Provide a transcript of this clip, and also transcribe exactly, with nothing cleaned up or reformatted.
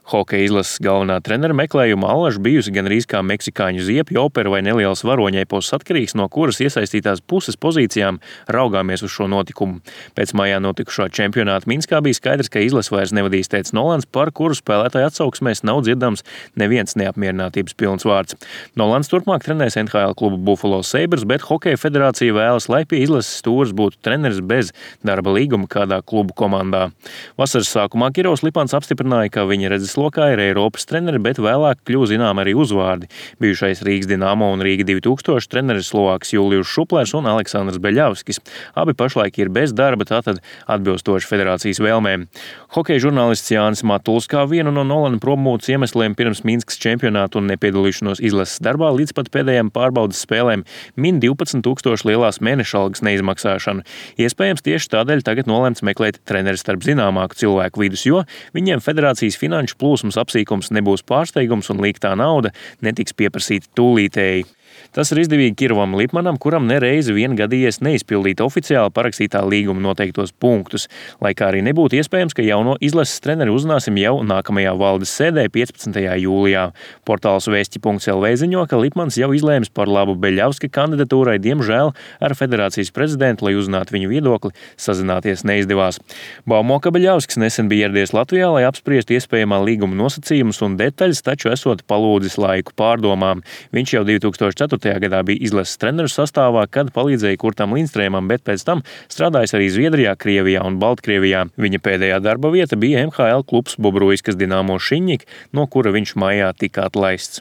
Hokeja izlases galvenā trenera meklējuma allaž bijusi gandrīz kā meksikāņu ziepju opera vai nelielas varoņepos, atkarīgs no kuras iesaistītās puses pozīcijām raugāmies uz šo notikumu. Pēc maijā notikušā čempionāta Minskā bija skaidrs, ka izlase vairs nevadīs tētis Nolans, par kuru spēlētāju atsauksmēs nav dzirdams neviens neapmierinātības pilns vārds. Nolans turpmāk trenēs N H L klubu Buffalo Sabres, bet Hokeja federācija vēlas, lai pie izlases stūres būtu treneris bez darba līguma kādā klubu komandā. Vasaras sākumā Kirovs Lipans apstiprināja, ka viņa redzes lokā ir Eiropas treneri, bet vēlāk kļuva zinām arī uzvārdi. Bijušais Rīgas Dinamo un Rīga divi tūkstoši treneris Slovāks Julijus Šuplers un Aleksandrs Beļavskis. Abi pašlaik ir bez darba, tātad atbilstoši federācijas vēlmēm. Hokeja žurnālists Jānis Matuls kā vienu no Nolana prommūtes iemesliem pirms Minskas čempionātu un nepiedalīšanos izlases darbā līdz pat pēdējām pārbaudas spēlēm min divpadsmit tūkstoši lielās mēneša algas neizmaksāšanu. Iespējams, tieši tādēļ tagad nolēmts meklēt treneri starp zināmāku cilvēku vidus, jo viņiem federācijas finanšu plūsmas apsīkums nebūs pārsteigums un līgtā nauda netiks pieprasīta tūlītēji. Tas ir izdevīgi Kirovam Lipmanam, kuram nereizi vien gadījies neizpildīt oficiāli parakstītā līguma noteiktos punktus, lai kā arī nebūtu iespējams, ka jauno izlases treneri uzzināsim jau nākamajā valdes sēdē piecpadsmitajā jūlijā. Portāls vēsti punkts L V ziņo, ka Lipmans jau izlēmis par labu Beļavska kandidatūrai, diemžēl ar federācijas prezidentu, lai uzzinātu viņu viedokli, sazināties neizdevās. Baumo, ka Beļavskis nesen bija ieradies Latvijā, lai apspriestu iespējamā līguma nosacījumus un detaļas, taču esot palūdzis laiku pārdomām. Viņš jau divi tūkstoši ceturtajā gadā bija izlases treneru sastāvā, kad palīdzēja Kurtam Lindstrēmam, bet pēc tam strādājis arī Zviedrijā, Krievijā un Baltkrievijā. Viņa pēdējā darba vieta bija N H L klubs Bobruiskas Dinamo Šiņņik, no kura viņš maijā tika atlaists.